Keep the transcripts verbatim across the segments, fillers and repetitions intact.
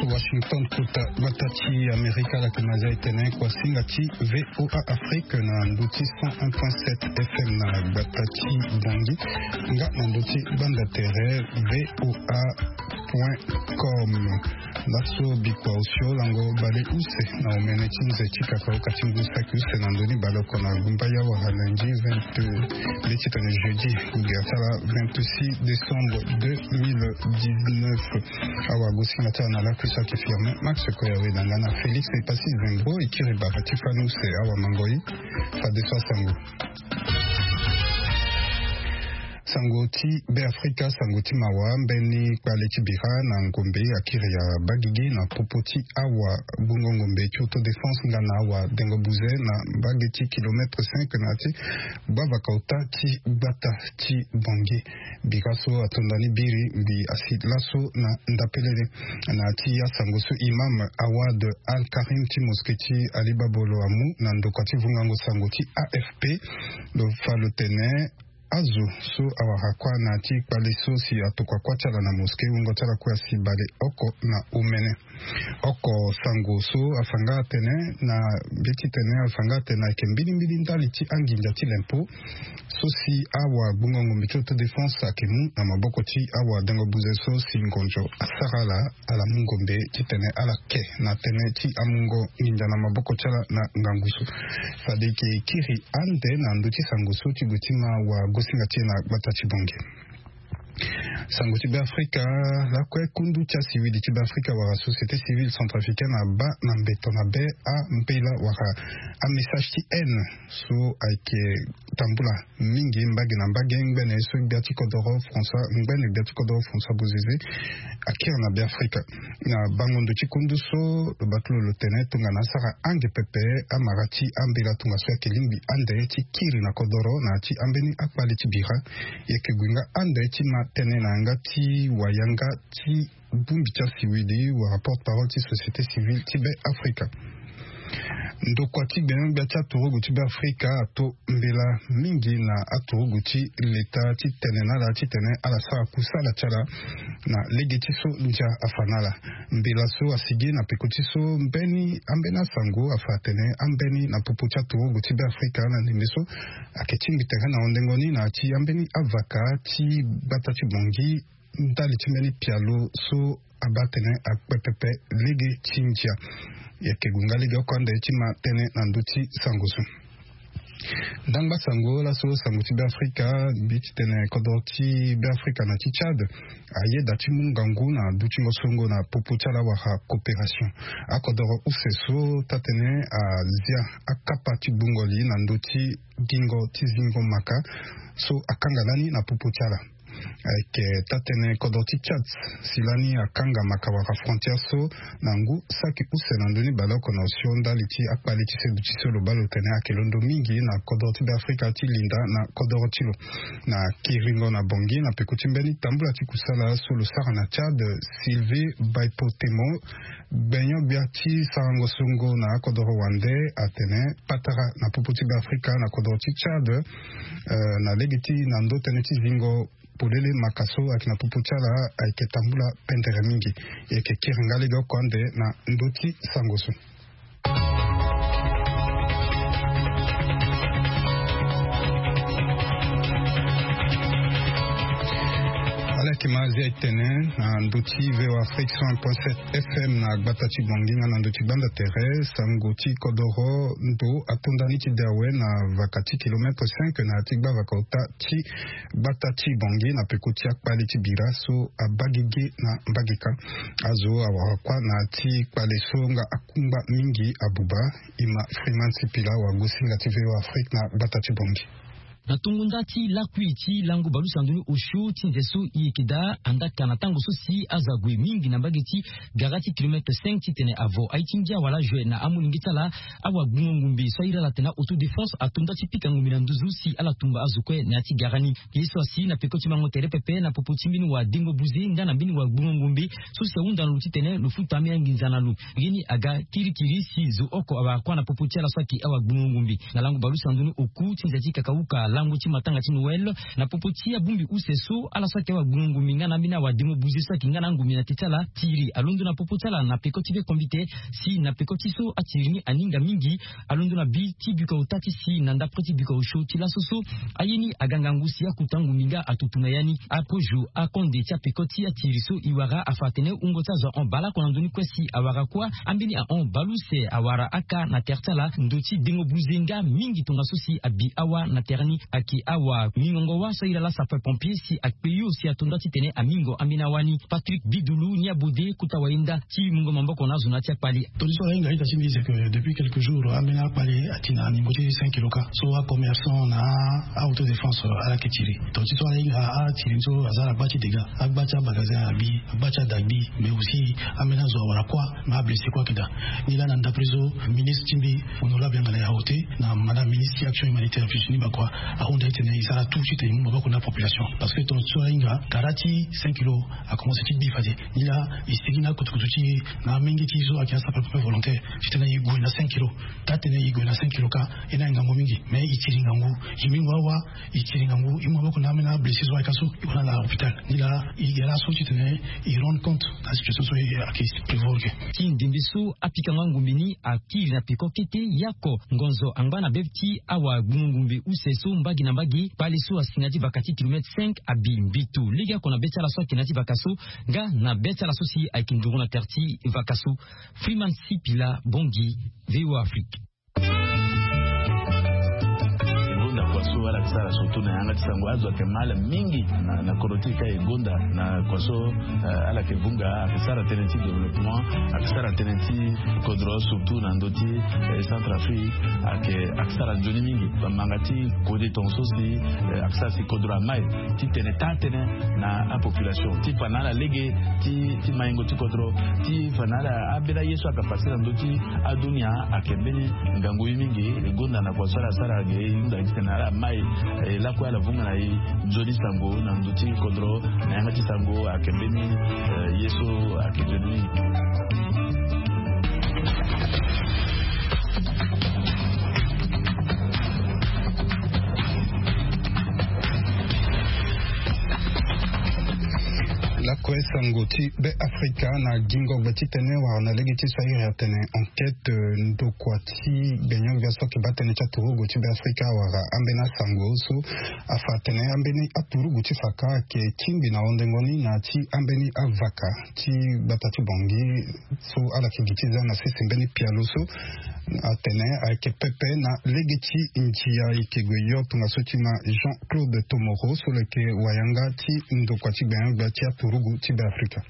Washington, kota gbata ti Amerika, ala yeke ma zia e tene kuasinga ti VOA Afrique na ndö ti cent un point sept FM na gbata ti Bangui, nga na ndö ti banda tere VOA point com. Laso bikua osio lango bale use na omene ti nze ti kakaoka ti ngu saki use na ndö ni baleoko na gumba ya wara lundi vingt, nde ti tene jeudi, ngia ti ala vingt-six décembre deux mille dix-neuf. Awa gosinga ti ala na lakui so ayeke Firmin Max Koyawe na nga na Félix Epassi Zengro, e kiri bara ti fani use awa mangoi. Fadeso asango. Sango ti Beafrika, sango ti mawa, mbeni kpale ti bira na ngombe akiri ya bagigi na popo ti awa gbungo ngombe ti autodéfense nga na awa dengo buze na mbage ti kilomètre cinq na ya ti gbavaka ota ti gbata ti Bangui. Bira so atonda ni biri mbi asi laso na ndapelele. Na ya ti asango so imam Awad Al Karim ti mosquée ti Ali Babolo amu na ndokua ti vungango sango ti AFP, lo fa lo tene azo so awara kuâ na ya ti kpale so si atokua kuâ ti ala na mosquée, wungo ti ala kue asi baleoko na omene. Oko sango so afa nga atene na mbi ti tene, afa nga atene ayeke mbilimbili ndali ti anginza ti lempo so si awa gbungo ngombe ti autodéfense ayeke mu na maboko ti awa dengo buze so si ngonzo asara ala, ala mu ngombe ti tene ala ke na tënë ti amungo nginza na maboko ti ala na ngangu so. Fade e yeke kiri ande na ndö ti sango so ti gue ti ma wa gosinga ti e na gbata ti Bangui. Sango ti Beafrika, lakue kundu ti asiwili ti Beafrika wala société civile centrafricaine abaa na mbeto mabe ambela wala amessage ti haine so ayeke tambula mingi mbage na mbage ngbene so gbia ti kodoro François, ngbene gbia ti kodoro François Bozizé akiri na Beafrika. Na bango ndo ti kundu so lo baa ti lo lo tene tongana asara ange pepe amara ti ambela tongaso ayeke lingbi ande ti kiri na kodoro na ya ti ambeni akpale ti bira. E yeke gue nga ande ti ma tënë na yanga ti wayanga ti bongbi ti asiwili wala porte-parole ti société civile ti Beafrika. Ndokua ti gbenyo-gbia ti aturugu ti Beafrika ato mbela mingi na aturugu ti leta ti tene na ala ti tene ala sara kusala ti ala na lege ti so ndia afa na ala. Mbela so asigi na peko ti so mbeni ambeni asango afa atene ambeni na popo ti aturugu ti Beafrika na ndembe so ayeke tingbi tere na hondengo ni na ya ti ambeni avaka ti gbata ti Bangui ndali ti mbeni pialo so abaa atene akpe pepe lege ti ndia. E yeke gue nga lege oko ande ti ma tënë na ndö ti sango so. Ndangba sango laso sango ti Beafrika, mbi ti tene kodoro ti Beafrika na ti Tchad ayeda ti mu ngangu na dutingo songo na popo ti ala wala coopération. Akodoro use so taa-tënë azia akapa ti gbungo li na ndö ti gingo ti zingo maka so akanga lani na popo ti ala. Ayeke taa-tënë kodro ti Tchad si lani akanga maka wala frontière so na ngu saki use na ndö ni baleoko na osio ndali ti akpale ti seduti so lo baa lo tene ayeke londo mingi na kodro ti Beafrika ti linda na kodro ti lo. Na kiringo na Bangui na peko ti mbeni tambula ti kusala so lo sara na Tchad, Sylvie Baipotemo, gbenyo-gbia ti sarango songo na akodoro wande atene patara na popo ti Beafrika na kodoro ti Tchad, eh, na lege ti na ndö tënë ti zingo polele maka so ayeke na popo ti ala ayeke tambula pendere mingi. E yeke kiri nga lege oko ande na ndö ti sango so. Ala yeke ma azia e tene na ndö ti VOA Afrique cent un point sept FM na gbata ti Bangui nga na ndö ti gbanda tere, sango ti kodoro ndo atonda ni ti de awe na vaka ti kilomètre cinq na ya ti gbavaka ota ti gbata ti Bangui na peko ti akpale ti bira so abaa gigi na mbagika. Azo awara kuâ na ya ti kpale so nga akungba mingi abuba. Ima Freeman Sipila wa gosinga ti VOA Afrique na gbata ti Bangui. Na tongo nda ti lakui ti lango balusa ndo ni osio ti nze so e yeke daa andaka na tango so si azo ague mingi na mbage ti gara ti kilomètre cinq titene avo aye ti ngia wala jue na amolenge ti ala, awagbungo-ngombe so airi ala atene autodéfense ato nda ti pika ngombe na nduzu si ala tumba azo kue na ya ti gara ni. Ye so asi na peko ti mango tere pepe na popo ti mbeni wadengo buze nga na mbeni wagbungo-ngombe so si ahunda na lo titene lo futa ambeni anginza na lo. Ye ni aga kirikiri si zo oko awara kuâ na popo ti ala so ayeke awagbungo-ngombe. Na lango balusa ndo ni oku ti nze ti kakauka Lango ti matanga ti Noël na popo ti abongbi use so ala so ayeke awa gbungo ngumbi nga na ambeni awa dengo buze so ayeke nga na angumbi na te ti ala tiri alondo na popo ti ala na peko ti be kombite. Si na peko ti so atiri ni aninga mingi, alondo na bi ti bika ota ti si na ndapre ti bika osio ti laso so aye ni aga ngangu si akuta ngumbi nga atutu na ya ni. Akozo akonde ti apeko ti atiri so e wara afa atene wungo ti azo ahon baleoko na ndoni kue si awara kuâ. Ambeni ahon baleuse awara aka na tere ti ala ndo ti dengo buze nga mingi tongaso si abi awa na tere ni. Ayeke awa mingongo wâ so aye laa sapeur pompier si akpe yo si ato nda titene amingo ambeni awâ ni. Patrick Bidulu ni abode kota wayenda ti mungo maboko na azo na ya ti akpale. Toli so ala hinga ita ti mbi c'est que depuis quelques jours ambeni akpale ati na ningo ti cinq kilo ka so acommerçant na a-autodéfense ala yeke tiri. Toli so ala hinga atiri ni so aza na gba ti dégât, agba ti amagasin abi, agba ti ada abi, mais aussi ambeni azo awara kuâ, na ablessé kuâ ayeke daa. Ni laa na ndapre so ministre ti mbi, honorable yanga na ya ôte, na madame ministre ti action humanitaire Virginie Bakwa ahunda titene e sara tout titene e mu maboko na apopulation. Parce que tongana so ahinga kara ti cinq kilo akomanse ti gbi fade. Ni laa e sigi na akutukutu ti e na amenge ti e so ayeke asapeur pompier volontaire titene e gue na cinq kilo. Taa tene e gue na cinq kilo ka, e na ngangu mingi, mais e tiri ngangu, e mingo awa, e tiri ngangu, e mu maboko na ambeni ablessé so ayeke aso, e hunda na hôpital. Ni laa e ga laso titene e rendre compte na situation so e ayeke prévoir ge. Ti ndembe so apikango angombe ni akiri na peko kete, yako ngonzo angba na be ti awa gbungo ngumbe use so mbage na mbage. Kpale so asi na ya ti vaka ti kilomètre cinq abi mbito lege oko na be ti ala so ayeke na ya ti vaka so nga na be ti ala so si ayeke nduru na tere ti vaka so. Freeman Sipila, Bangui, VOA Afrique. E gonda kua so ala yeke sara surtout na yanga ti sango, azo ayeke mal mingi na, na kodro ti e ka. E gonda na kua so, eh, ala yeke vunga, ayeke sara tënë ti développement, ayeke sara tënë ti kodro surtout na ndö ti, eh, Centrafrique, ayeke, ayeke sara nzoni mingi. Bamanga ti kode tongaso si, eh, ayeke sara si kodro amai titene taa tënë na apopulation ti fa na ala lege ti, ti maingo ti kodro, ti fa na ala ambeni aye so ayeke passe na ndö ti adunia ayeke mbeni ngangu ye mingi. E gonda na kua so ala sara ge e hunda titene ala mai, eh, lakue ala vunga na e nzoni sango na ndö ti kodro na yanga ti sango ayeke mbeni, eh, ye so ayeke nzoni mingi. Lakue sango ti Be Afrika na gingo gbe ti tene wala na lege ti so a iri atene enquête, eh, ndokua ti gbenyo-gbia so ayeke baa tënë ti aturugu ti Be Afrika awara ambeni asango so afa atene ambeni aturugu ti fa ka ayeke tingbi na hondengo ni na ya ti ambeni avaka ti gbata ti Bangui so ala yeke gi ti za na sese mbeni pialo so atene ayeke pepe na lege ti ndia e yeke gue yo tongaso ti ma Jean-Claude Tomoro so lo yeke wayanga ti ndokua ti gbenyo-gbia ti aturugu ti Be Afrika.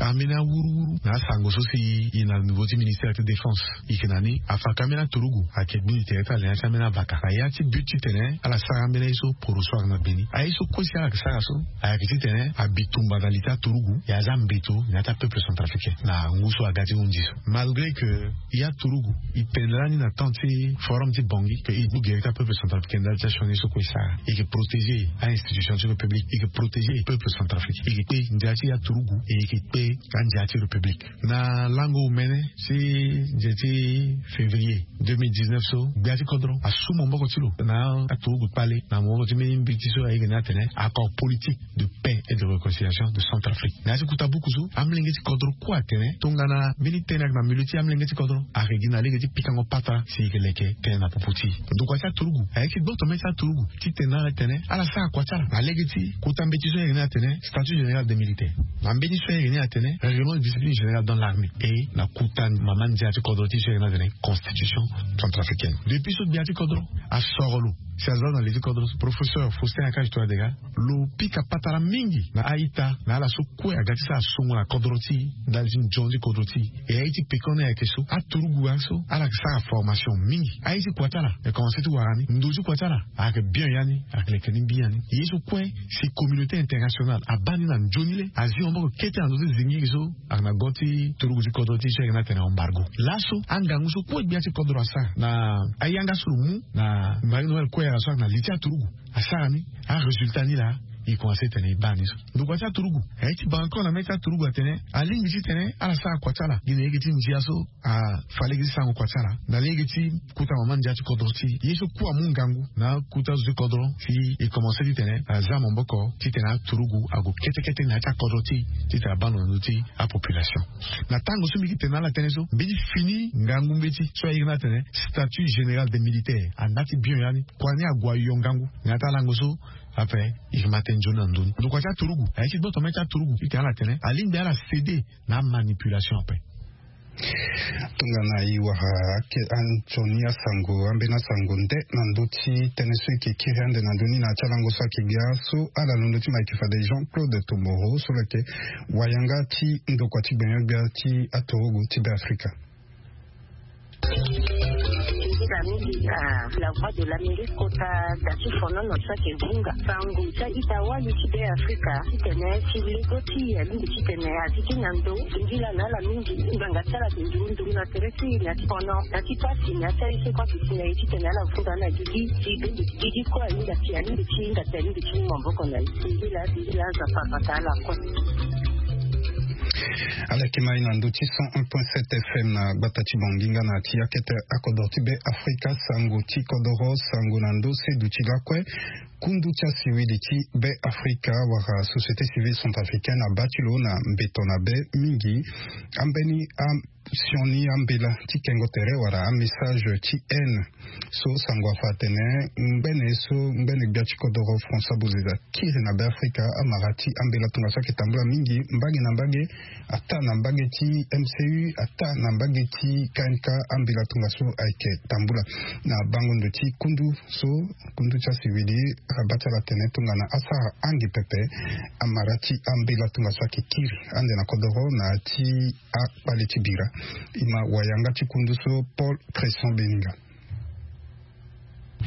Ambeni awuruwuru na asango so si e na niveau ti ministère ti défense e yeke na ni afa ka ambeni aturugu ayeke gbu ni tere ti ala na ya ti ambeni avaka na ya ti but titene ala sara ambeni aye so poro so ayeke na gbe ni. Aye so kue si ala yeke sara so ayeke titene abi tumba na li ti aturugu, e aza mbeto na ya ti apeuple centrafricain na ngu so aga ti hundi so. Malgré que e aturugu e pendere ni na temps ti forum ti Bangui que e gbu gere ti apeuple centrafricain ndali ti asioni so kue e sara. E yeke protéger a-institution ti république, e yeke protéger peuple centrafricain, e yeke kpe ndia ti aturugu, e yeke kpe andia ti république. Na lango omene ti nze ti février deux mille dix-neuf so, gbia ti kodro asu maboko ti lo na aturugu kpale na maboko ti mbeni mbi ti so ayeke ni atene accord politique de paix et de réconciliation de Centrafrique. Na ya ti kuta buku so, amolenge ti kodro kue atene tongana mbeni tënë ayeke na milieu ti amolenge ti kodro, ayeke gi na lege ti pikango patara si e yeke leke tënë na popo ti e. Ndokua ti aturugu ayeke gboto mê ti aturugu titene ala tene ala sara kua ti ala na lege ti kuta mbeti so ayeke ni atene statut général des militaires, na mbeni so ayeke ni atene règlement de discipline générale dans l'armée, e na kuta mama ndia ti kodro ti e so ayeke ni atene constitution centrafricaine. Depuis so gbia ti kodro asoro lo si aza na li ti kodro, professeur Faustin Archange Touadéra, lo pika patara mingi na a-ita na ala so kue aga ti sara songo na kodro ti e ndali ti nzoni ti kodro ti e. E aye ti pekoni ayeke so, aturugu laso ala yeke sara formation mingi. Aye ti kua ti ala e komanse ti wara ni, ndo ti kua ti ala ayeke bien ya ni, ayeke leke ni mbi ya ni. Ye so kue si communauté internationale abaa ni na nzoni le, azi maboko kete na ndö ti zingiri so ayeke na go ti turugu ti kodro ti e so ayeke ni atene embargo. Laso angangu so kue gbia ti kodro asara na ayanga so lo mu na Marie Noël Kouéra so ayeke na li ti aturugu asara ni, arésultat ni laa e komanse titene e baa ni so. Ndokua ti aturugu aye ti baa encore na mê ti aturugu atene alingbi titene ala sara kua ti ala gi na lege ti ndia so afa lege ti sarango kua ti ala na lege ti kota mama ndia ti kodro ti e. Ye so ku amu ngangu na akota zo ti kodro si e komanse titene aza maboko titene aturugu ague kete kete na ya ti akodro ti e titene abaa ndo na ndö ti apopulation. Na tango so mbi yeke tene na ala tënë so mbi ti fini ngangu mbeti so aye na tene statut général des militaires anda ti bien ya ni kua ni ague ayo ngangu na ya ti alango so. Ape e ma tene nzoni na ndö ni ndokua ti aturugu aye ti gboto mê ti aturugu titene ala tene alingbi ala céder na amanipulation ape. Tongana e wara ake anzoni asango ambeni asango nde na ndö ti tënë so e yeke kiri ande na ndö ni na ya ti alango so ayeke gbia so ala londo ti ma ayeke fade Jean Claude Tomoro so lo yeke wayanga ti ndokua ti gbenyo-gbia ti aturugu ti Be Afrika. Nzila mingi na la voix de l'Amérique kota da ti fonono so ayeke hunga sango ti a-ita wali ti Be Afrika titene ti lego ti e alingbi titene azi ti na ndo. Nzila na ala mingi ngbanga ti ala ayeke nduru nduru na tere ti e na ti fono na ti pasi na ya ti aye so kue ayeke si na e titene ala funda na gigi ti bende ti gigi kue alingbi ti alingbi ti hinga ti alingbi ti mu maboko na e. Nzila nzila aza papa ta ala kue. Ala yeke ma e na ndö ti cent un point sept F M na gbata ti Bangi nga na ti akete akodro ti Be Afrika sango ti kodoro sango na ndö seduti lakue. Kundu ti asiwili ti Be Afrika wala société civile centrafricaine abaa ti lo na mbeto na be mingi ambeni a sioni ambela ti kengo tere wala amessage ti haine. So sango afa atene ngbene so ngbene gbia ti kodoro François Bozizé akiri na Be Afrika amara ti ambela tongaso ayeke tambula mingi mbage na mbage. Ata na mbage ti M C U ata na mbage ti K N K ambela tongaso ayeke tambula na bango ndo ti kundu so kundu ti asiwili abaa ti ala atene tongana asara ange pepe. Amara ti ambela tongaso ayeke kiri ande na kodoro na ya ti akpale ti bira. E ma wayanga ti kundu so Paul Cresson Beninga.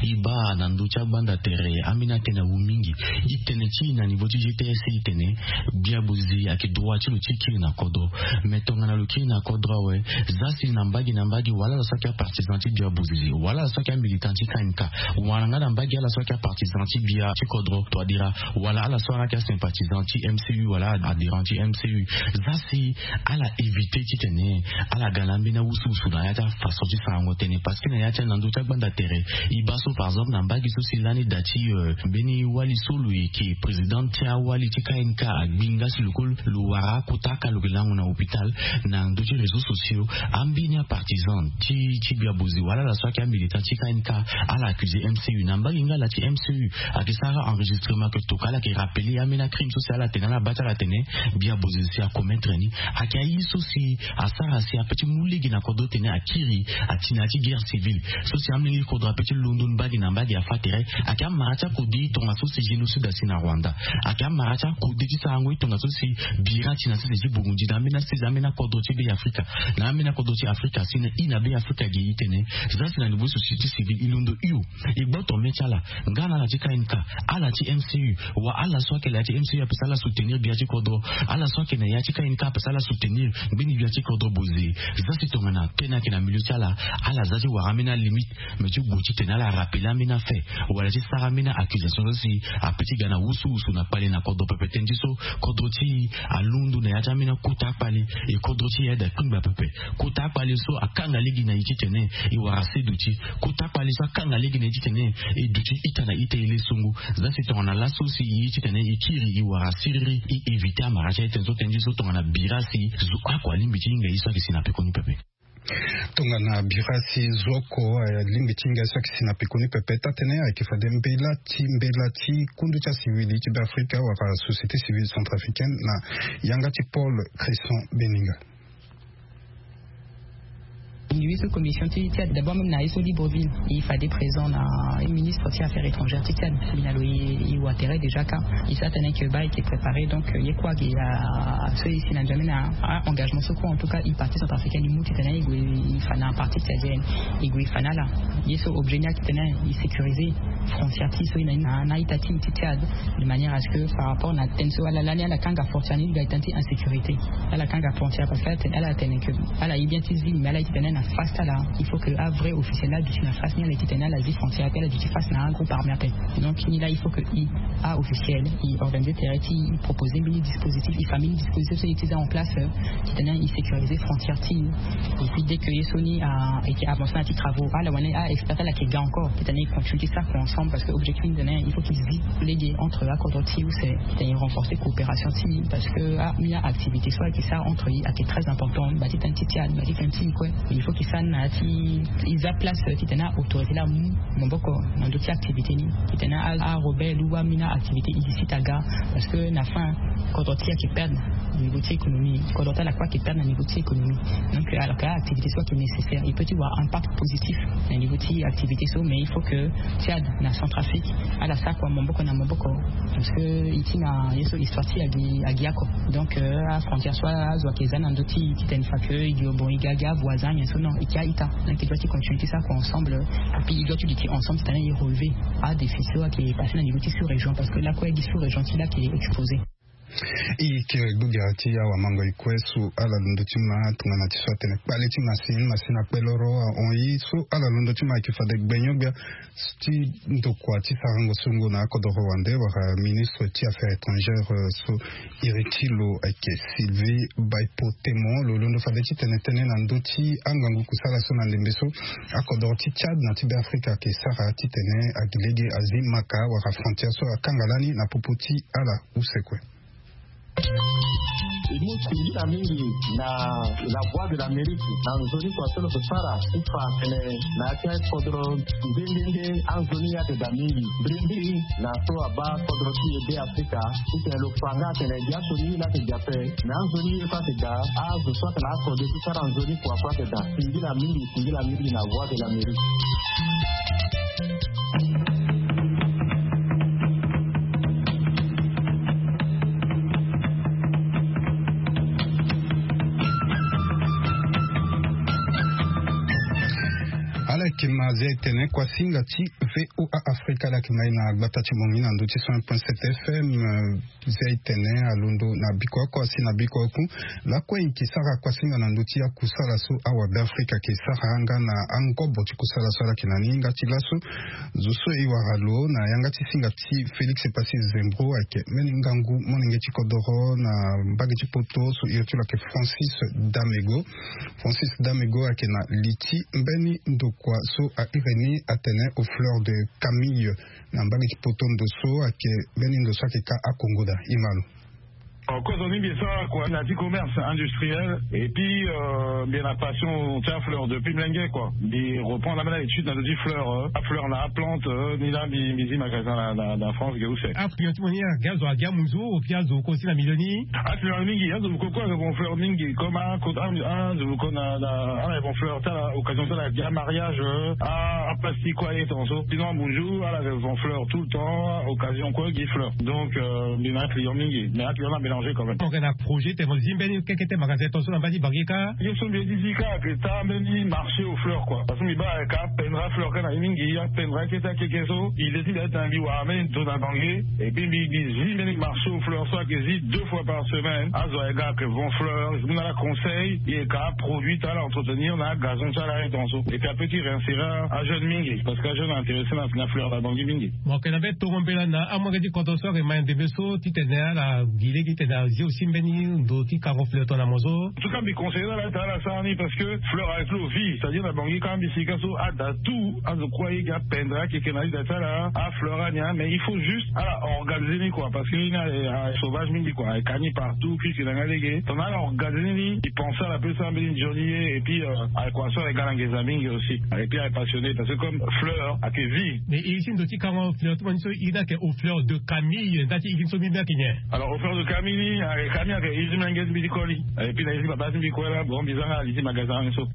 E baa na ndö ti agbanda tere ambeni atënë awu mingi. E tene ti e na niveau ti G T S e tene gbia bozizi ayeke droit ti lo ti kiri na kodro. Mais tongana lo kiri na kodro awe, za si na mbage na mbage wala ala so ayeke apartisan ti gbia bozizi wala ala so ayeke amilitant ti K N K wala nga na mbage ala so ayeke apartisan ti gbia ti kodro toadira wala ala so ayeke asympathisant ti M C U wala adhérent ti M C U. Za si ala éviter titene ala ga na ambeni awusuwusu na ya ti afaçon ti sarango tënë parce que na ya ti na ndö ti agbanda tere e baa so par exemple na mbage so si lani da ti mbeni wali so lo yeke président ti awali ti K N K agbi nga si lo kue lo wara akota aka lo yeke lango na hôpital. Na ndö ti réseaux sociaux ambeni apartisan ti ti gbia bozi wala ala so ayeke amilitant ti K N K ala accusé M C U na mbage nga ala ti M C U ayeke sara enregistrement ayeke toka ala yeke rappelé ambeni acrime so si ala tene ala baa ti ala tene gbia bozi si acommettre ni. Ayeke aye so si asara si ape ti mu lege na kodro tene akiri ati na ya ti guerre civile so si amolenge ti kodro ape ti londo mbage na mbage afa tere. Ayeke amara ti akode tongaso si génocide asi na Rwanda. Ayeke amara ti akode ti sarango ti tongaso si bira ti na sese ti Burundi na ambeni asese ambeni akodro ti Be Afrika. Na ambeni akodro ti Afrika si na i na Be Afrika gi i tene za si na niveau société civile e londo hio e gboto mê ti ala nga na ala ti K N K, ala ti M C U, wa ala so ayeke na ya ti M C U ape si ala soutenir gbia ti kodro, ala so ayeke na ya ti K N K ape si ala soutenir ngbeni gbia ti kodro boze. Za si tongana tënë ayeke na milieu ti ala, ala za ti wara ambeni alimite. Mais ti gue ti tene ala rappelé ambeni afait wala ti sara ambeni accusation so si ape ti ga na wusuwusu na kpale na kodro pepe tënë ti so kodro ti e alondo na ya ti ambeni akota akpale. E kodro ti e aye daa kpengba pepe. Kota akpale so akanga lege na e titene e wara se duti. Kota akpale so akanga lege na e titene e duti ita na ita e le songo. Za si tongana laso si e ye titene e kiri e wara siriri e éviter amara ti aye tënë so tënë ti so tongana bira si zo oko alingbi ti hinga ye so ayeke si na pekoni pepe. Tongana bira si zo oko alingbi ti hinga ye so ayeke si na pekoni pepe taa-tënë ayeke fade mbela ti mbela ti kundu ti asiwili ti Be Afrika wala société civile centrafricaine na yanga ti Paul Cresson Beninga. Ngi wi so commission ti Tchad d'abord même na ye so Libreville e fade présent na ministre ti affaires étrangères ti Tchad. Mbi na lo e wa tere déjà ka e sa tene que ba e ke préparé donc ye kue ake a so e si na nzoni na a engagement so kue en tout cas e parti centrafricaine e mu titene e gue e fa na parti tchadienne e gue e fa na ala. Ye so objet ni ake tene e sécurisé. Frontière ti so i na ni na na ita ti ti tiade, de manière à ce que par rapport na tene so ala lani ala kanga frontière ni ga ita ti insécurité. Ala kanga frontière parce que ala tene ala ye bien ti zi mais ala ye ti tene na face ti ala. Il faut que a vrai officiel la duti na face ni ala ye ti tene ala zi frontière pe ala duti face na un groupe armé ape. Donc ni la il faut que i a officiel i organiser tere ti proposer mbeni dispositif i famille dispositif so i ti za en place ti tene i sécuriser frontière ti i. Et puis dès que ye so ni a été avancé na ti travaux ala wani a expert ala ke ga encore ti tene i continue ti sara ensemble parce que objectif ni tene il faut ti zi lege entre akodro ti i use ti tene i renforcer coopération ti i parce que a mi a activité so ayeke sara entre i ayeke très important ba ti tene ti tiade ba ti tene ti i kue. Il faut ti sara na ya ti i za place ti tene autorité la mu maboko na ndö ti activité ni ti tene a rebelle ou amina activité illicite aga. Parce que na fin kodro ti ayeke perdre na niveau ti économie. Kodro ti ala kue ayeke perdre na niveau ti économie. Donc alors que activité so ayeke nécessaire il peut ti wara impact positif na niveau ti activité so mais il faut que tiade na Centrafrique ala sara kua maboko na maboko. Parce que i ti na ye so histoire ti agi agi ako. Donc a frontière so azo ayeke za na ndö ti ti tene fa que i gi bon i ga gi avoisin nyen so non i ti a ita. Donc i doit ti continuer ti sara kua ensemble. Et puis i doit ti duti ensemble ti tene i relever a défi so ayeke passé na niveau ti sous région parce que lakue gi sous région ti la ayeke exposé. I yeke gbogera ti awamango i kue so ala londo ti ma tongana ti so atene kpale ti masini masini akpe loro ahon i so ala londo ti ma ayeke fade gbenyo-gbia ti ndokua ti sarango songo na akodoro wande wala ministre ti affaires étrangères so iri ti lo ayeke Sylvie Baipo Temon lo londo fade ti tene tënë na ndö ti angangu kusala so na ndembe so akodoro ti Tchad na ti Beafrika ayeke sara ti tene agi lege azi maka wala frontière so akanga lani na popo ti ala use kue. E mu singila mingi na la Voix de l'Amérique na nzoni kua so lo yeke sara ti fa tene na ya ti akodro nde nde nde anzoni ayeke daa mingi mbirimbiri na so abaa kodro ti e Beafrika ti tene lo fa nga atene gi aso ni la ayeke daa ape. Na anzoni ye so ayeke daa azo so ayeke na akode ti sara nzoni kua so ayeke daa. Singila mingi singila mingi na Voix de l'Amérique. Ala yeke ma zia etene kuasinga ti V O A Afrika ala yeke ma ye na gbata ti bongi na ndö ti cent un point sept F M. Zia etene alondo na biko oko asi na biko oko. Lakue e yeke sara kuasinga na ndö ti akusala so awabeafrika ayeke sara nga na angobo ti kusala so ala yeke na ni nga ti laso. Zo so e wara lo na yanga ti singa ti Félix Passy Zembro ayeke mbeni ngangu molenge ti kodoro na mbage ti poto so iri ti lo ayeke Francis Damego. Francis Damego ayeke na li ti mbeni ndokua so airi ni atene au fleur de Camille. Na mbage ti poto ndo so ayeke mbeni ndo so ayeke ka akongo daa e ma lo. Kozo ni mbi sara kua na ti commerce industriel et puis mbi na passion ti afleur depuis mlenge kua. Mbi reprendre ambeni aétude na ndö ti fleur afleur na aplante. Ni laa mbi zi magasin na na na France ge use. Afleur ti mo ni ake azo ake amuzu ou puis azo kosi na milieu ni. Afleur mingi azo koko ake bon fleur mingi comme azo koko na na ala bon fleur ti ala occasion ti ala ake amariage. Aplastique kua aye tonga so sinon amuzu ala ake bon fleur tout le temps occasion kue gi fleur. Donc mbi na aclient mingi mais aclient na mélanger quand même. Mo yeke na projet ti tene mo zi mbeni keke ti magasin tonga so na mba ti bangi kâ. Ye so mbi ye ti zi kâ ake taa mbeni marché aux fleurs kua parce que mbi baa ake apendre afleur kâ na ye mingi apendre akete akeke so. Idée ti mbi atene mbi wara mbeni ndo na bangi. Et puis mbi mbi zi mbeni marché aux fleurs so ake zi deux fois par semaine azo ake ga ake vend fleur. Mbi na ala conseil ye ka aproduit ti ala entretenir na agazon ti ala aye tonga so et puis apeut ti réinsérer ajeune mingi parce que ajeune intéressé na fleur na bangi mingi. Mo yeke na mbeni tongo mbela na amolenge ti kodro so ayeke ma ndembe so titene ala gi lege titene azi aussi mbeni ndo ti kango fleur tongana mo so. En tout cas mbi conseiller na ala ti ala sara ni parce que fleur avec lo vie c'est à dire na bangi kâ mbi sika so ada tout azo kue aye gi apendre akeke na ida ti ala afleur ani. Mais il faut juste ala organiser ni kua parce que ni aye sauvage mingi kua aye ka ni partout puisque na nga lege tongana ala organiser ni. Mbi pense ala pe sara mbeni nzoni ye et puis aye kua so aye ga na nginza mingi aussi. Et puis aye passionné parce que comme fleur ake vie. Mais iri ti ndo ti kango fleur ti mo ni so iri ni ake au fleur de Camille nda ti iri ni so mbi mbi ake nyen? Alors au fleur de Camille ni ake Camille ake iri ti mlenge ti mbi ti koli. Et puis na iri ti baba ti mbi kue la bon mbi za nga ali ti magasin ni so.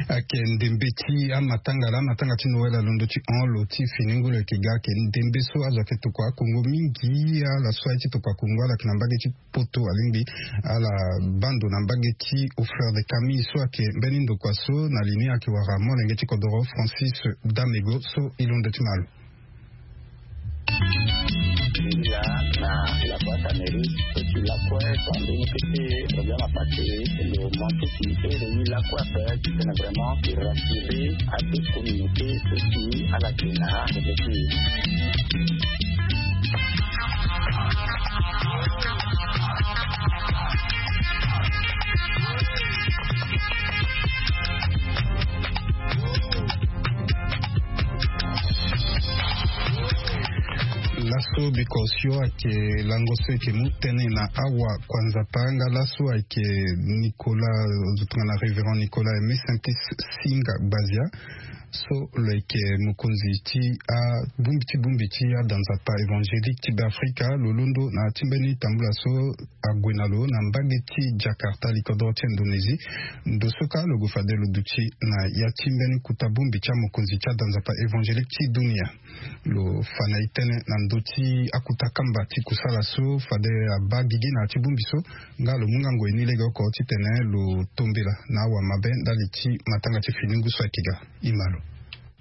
Ake ndembe ti amatanga la amatanga ti noël alondo ti hon lo ti fini ngolo eke ga ake ndembe so azo ake tokua akongo mingi ala so aye ti tokua akongo ala ake na mbage ti poto alingbi ala baa ndo na mbage ti au fleur de Camille so ake mbeni ndokua so na li ni ake wara molenge ti kodoro Francis Damego so e londo ti ma lo. Là, na la boîte à mairie, et puis la quoi, quand on était problème à passer, le manque qui était réuni la quoi, c'est vraiment de rassurer à toute communauté aussi à la Kena, et puis Laso biko sio ayeke lango so eke mu tënë na awa kua nzapa nga laso ayeke Nicolas, zo tongana révérend Nicolas Aimé Simplice Singa Gbazia, so lo yeke mokonzi ti abongbi ti bongbi ti ada nzapa évangélique ti Beafrika. Lo londo na ti mbeni tambula so ague na lo na mbage ti Jakarta, likodro ti Indonésie. Ndo so kâ lo gue fade lo duti na ya ti mbeni kota bongbi ti amokonzi ti ada nzapa évangélique ti dunia. Lo fa na e tënë na ndö ti akota kamba ti kusala so fade abaa gigi na ya ti bongbi so. Nga lo mu nga ngoi ni legeoko titene lo tombela na awamabe ndali ti matanga ti fini ngu so ayeke ga. E ma lo.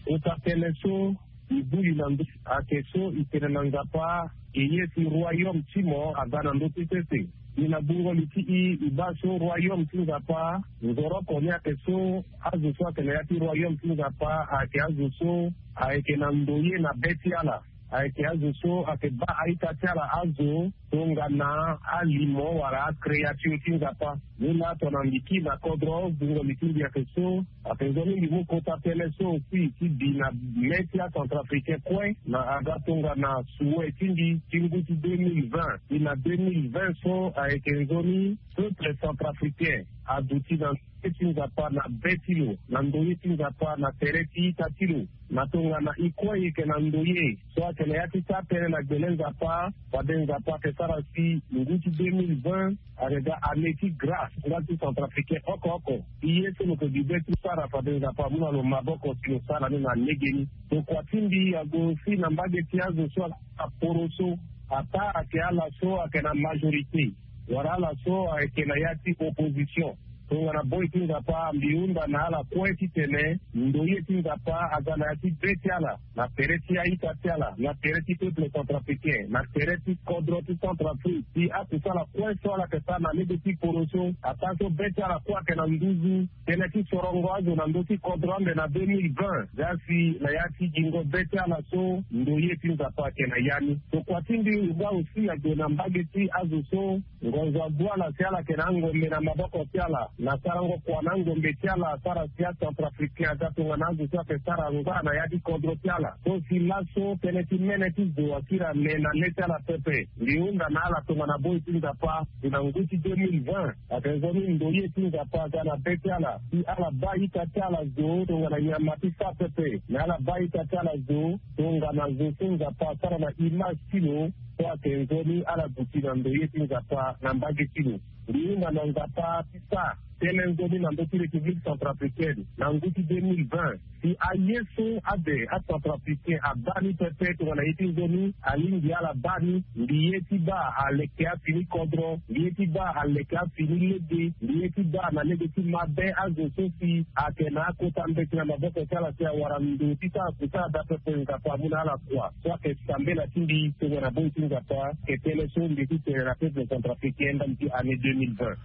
Kota tënë so e buli na ndö ayeke so e tene na nzapa, e ye si royaume ti mo aga na ndö ti sese. Ni na bungoli ti i, e baa so royaume ti nzapa nzoroko ni ayeke so, azo so ayeke na ya ti royaume ti nzapa ayeke azo so ayeke na ndoye na be ti ala. Ayeke azo so ayeke baa a-ita ti ala azo tongana alimo wala akréature ti nzapa. Ni laa tongana mbi kiri na kodro, bungoli ti mbi ayeke so, ayeke nzoni mbi mu kota tënë so aussi ti bi na mê ti acentrafricain kue na aga tongana souhait ti mbi ti ngu ti deux mille vingt. Ti na deux mille vingt so ayeke nzoni peuple centrafricain aduti na ndoye ti nzapa na be ti lo, na ndoye ti nzapa na tere ti ita ti lo. Na tongana e kue e yeke na ndoye so ayeke na ya ti sara tënë na gbele nzapa, fade nzapa ayeke sara si ngu ti deux mille vingt ayeke ga année ti grâce nga ti centrafricain oko oko. E ye so lo yeke gi be ti sara fade nzapa amu na lo maboko si lo sara ni na legeni. Tokua ti mbi ague aussi na mbage ti azo so ayeke na poroso, ataa ayeke ala so ayeke na majorité wala ala so ayeke na ya ti opposition. Tongana boi ti nzapa mbi hunda na ala kue titene ndoye ti nzapa aga na ya ti be ti ala, na tere ti a-ita ti ala, na tere ti peuple centrafricain, na tere ti kodro ti Centrafrique, si akusala kue so ala yeke sara na lege ti poroso, ataa so be ti ala kue ayeke na nduzu, tënë ti sorongo azo na ndö ti kodro ande na deux mille vingt, nga si na ya ti gingo be ti ala so ndoye ti nzapa ayeke na ya ni. Tokua ti mbi nga aussi ague na mbage ti azo so ngonzo agu ala si ala yeke na angombe na maboko ti ala na sarango kua na angombe ti ala, asara si acentrafricain aga tongana azo so ayeke sara ngba na ya ti kodro ti ala. So si laso tënë ti mene ti zo akiri ane na le ti ala pepe. Mbi hunda na ala tongana boi ti nzapa si na ngu ti deux mille vingt, ayeke nzoni ndoye ti nzapa aga na be ti ala si ala baa ita ti ala zo tongana nyama ti sara pepe, me ala baa ita ti ala zo tongana zo so nzapa asara na image ti lo. So ayeke nzoni ala duti na ndoye ti nzapa na mbage ti lo. Mbi hunda na nzapa ti sara tënë nzoni na ndö ti République centrafricaine na ngu ti deux mille vingt, si aye so ade acentrafricain abaa ni pepe tongana ye ti nzoni alingbi ala baa ni. Mbi ye ti baa aleke afini kodro, mbi ye ti baa aleke afini lege, mbi ye ti baa na lege ti mabe azo so si ayeke na akota mbeti na maboko ti ala si awara ndo ti sara kusala daa pepe. Nzapa amu na ala kua so ayeke sambela ti mbi tongana boi ti nzapa. Ayeke tënë so mbi ye ti tene na peuple centrafricain ndali ti année deux mille vingt.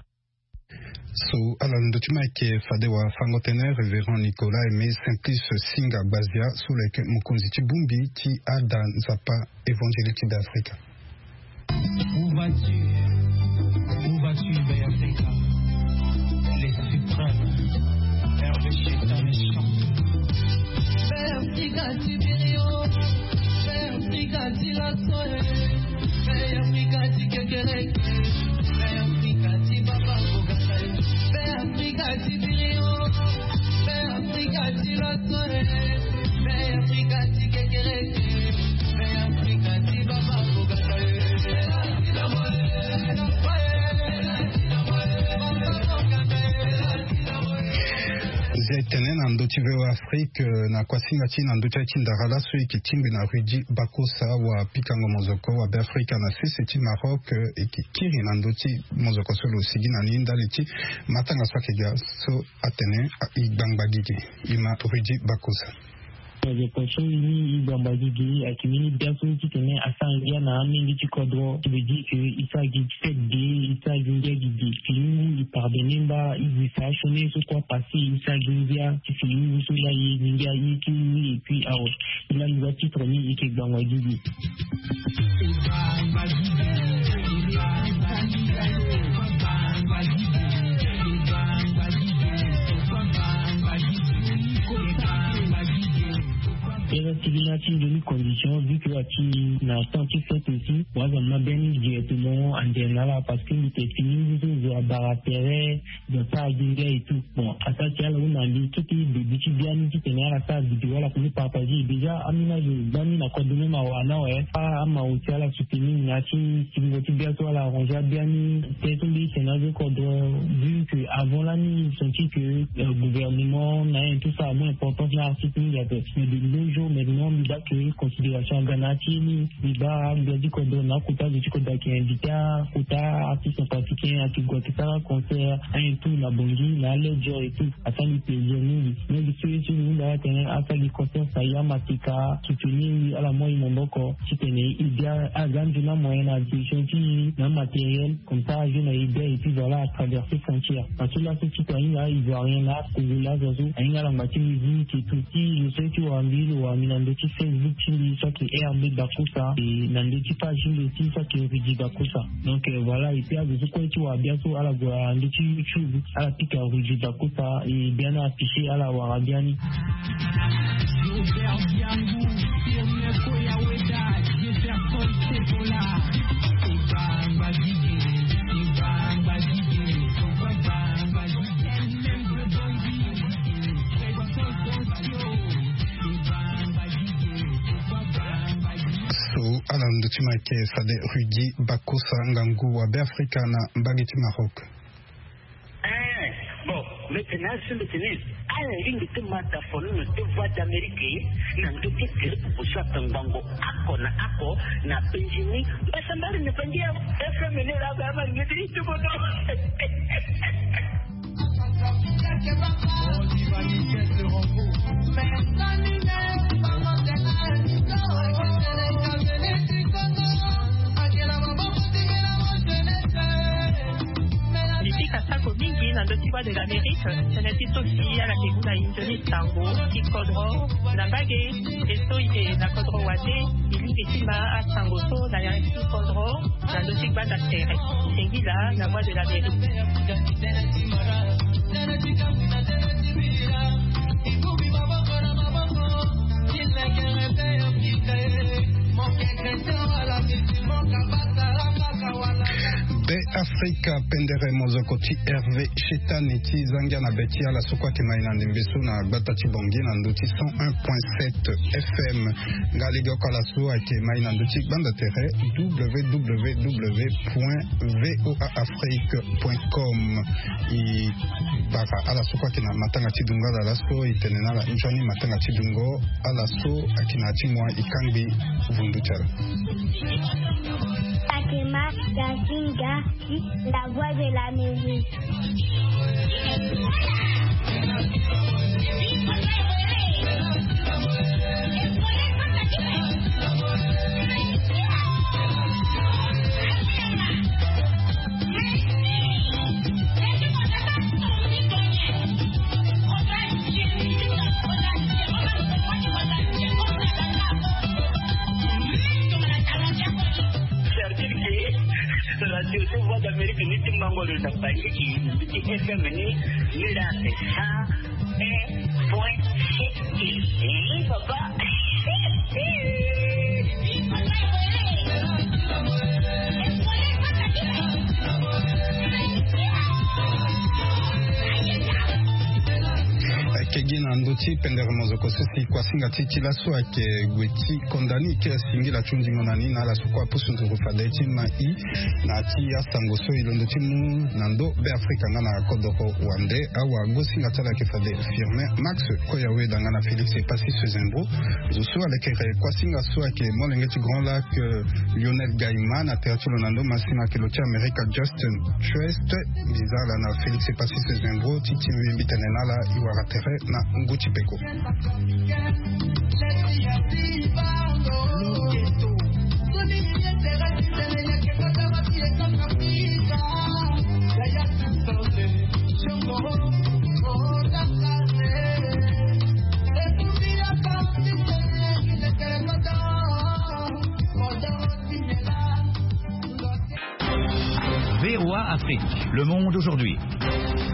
So ala na ndo ti ma ayeke fade wafango-tënë révérend Nicolas Aimé Simplice Singa Gbazia so lo yeke mokonzi ti bongbi ti ada nzapa évangélique ti Beafrika. Où vas-tu? Où vas-tu, Beafrika? Les suprêmes. Hervé Cheta, les champions. Beafrika ti birio, Beafrika ti laso e. Beafrika ti kekereke, Beafrika ti baba kogasa e. Beafrika ti birio, Beafrika ti laso e. Beafrika ti kekereke, Beafrika ti baba kogasa e. Zia e tene na ndö ti V O A Afrique, eh, na kuasinga ti na ndö ti aye ti ndara laso e yeke tingbi na Rudy Bakosa, wapikango mozoko wa Beafrika na sese ti Maroc, eh, e yeke kiri na ndö ti mozoko so lo sigi na ni ndali ti matanga so ayeke ga so atene, ah, e ngbangba gigi. E ma Rudy Bakosa. Azo kue so i ni i gbangba gigi ayeke mbeni bia so titene asara ngia na amenge ti kodro, ti veut dire que i sara gi fête de, i sara gi ngia gigi. Fini ngu i pardonner mba, i zi fa sioni so kue apasse, i sara gi ngia ti fini ngu so la i ye gi ngia i ye ti mu. Et puis awe, i la ni wa titre ni i yeke gbangba gigi. Eza ti gi na ti nzoni condition, vu que ati na temps ti fête aussi, waza na biani directement ande na ala, parce que mbi te fini ngu so zo abara tere, zo asara gi ngia et tout. Bon, asara ti ala hunda mbi kete début ti biani titene ala sara vidéo, ala koni partager. Déjà amina zo gbani na kodro même awa na awe, a ama aussi ala soutenir na ti singo ti bia so ala arranger abiani. Te so mbi tene azo kodro, vu que avant lani senti que, euh, gouvernement na ayen tout ça amu importance na artiste mingi ape. Mais de nos jours maintenant mbi baa que considération aga na ya ti ye ni. Mbi baa agbia ti kodro na akota azo ti kodro ayeke invité akota artiste centrafricain ayeke gue ayeke sara concert ayen tout na Bangui na Ledger et tout. Asara mbi plaisir mingi. Mingi so ye so mbi hunda atene asara gi concert, ça y est, amateka soutenir mbi, ala mu aye maboko titene e dia aga nzoni amoyen na disposition ti e na matériel, comme ça azo na e dia et puis voilà atraverser frontière. Parce que laso ti ahinga ivoirien na congolais azo so ahinga ala ngba ti musique et tout. Si zo so ye ti wara mbi lo wara mbi na ndö ti Facebook ti mbi so ayeke R B Bakosa, et na ndö ti page ti mbi aussi so ayeke Rudy Bakosa. Donc, euh, voilà, et puis azo so kue ti wara bia so ala gue na ndö ti YouTube, ala pika Rudy Bakosa, et biani ala afficher, ala wara biani. So ala ndö ti ma ayeke fade Rudy Bakosa, ngangu wa Beafrika na mbage ti Maroc. Eh, bon, mbi tene asi mbi tene ala lingbi ti ma dafono na deux voix d'Amérique na ndö ti groupe so atongbango oko na oko na Benjini. Mbasambari na bangi ya F M ni la ba ma ngeti ti bono. Mbi pika sako mingi na ndö ti Voix de l'Amérique, tënë ti so si ala yeke mu na e nzoni sango ti kodro na mbage. E so e yeke na kodro wande, e lingbi ti ma asango so na ya ti kodro na ndö ti gbanda tere. Singila na Voix de l'Amérique. Be Afrika, pendere mozoko ti Hervé Chetani ti zangia na be ti ala so kue ayeke mai na ndembe so na gbata ti Bangui na ndö ti cent un point sept F M. Nga lege oko ala so ayeke mai na ndö ti gbanda tere W W W point V O A Afrique point com. E bara ala so kue ayeke na matanga ti dungo ala laso, e tene na ala nzoni matanga ti dungo ala so ayeke na ya ti moi, e kangbi vundu ti ala. Fatima Gazinga, la voix de l'Amérique. C'est-à-dire que radio so Voix d'Amérique ni ti mango lo na Bangui, ti F M ni, ni la c'est ça. Un point sept. Eh, papa. Ayeke gi na ndö ti pendere mozoko so si kuasinga ti ti laso ayeke gue ti konda ni, ke singila ti hundingo na ni na ala so kue apusu nduru fade ti ma i na ya ti asango so e londo ti mu na ndo Be Afrika nga na kodro wande. Awagosinga ti ala ayeke fade Firmin Max Koyaweda nga na Félix Epassis Zembro. Zo so alekere kuasinga so ayeke molenge ti Grand Lac, euh, Lionel Gaïma, na tere ti lo na ndo masima ayeke lo ti Amerika Justin Trust. Mbi za ala na Félix Epassis Zembro ti ti mbi, mbi tene na ala e wara tere Na ngu ti peko. V O A Afrique, le monde aujourd'hui.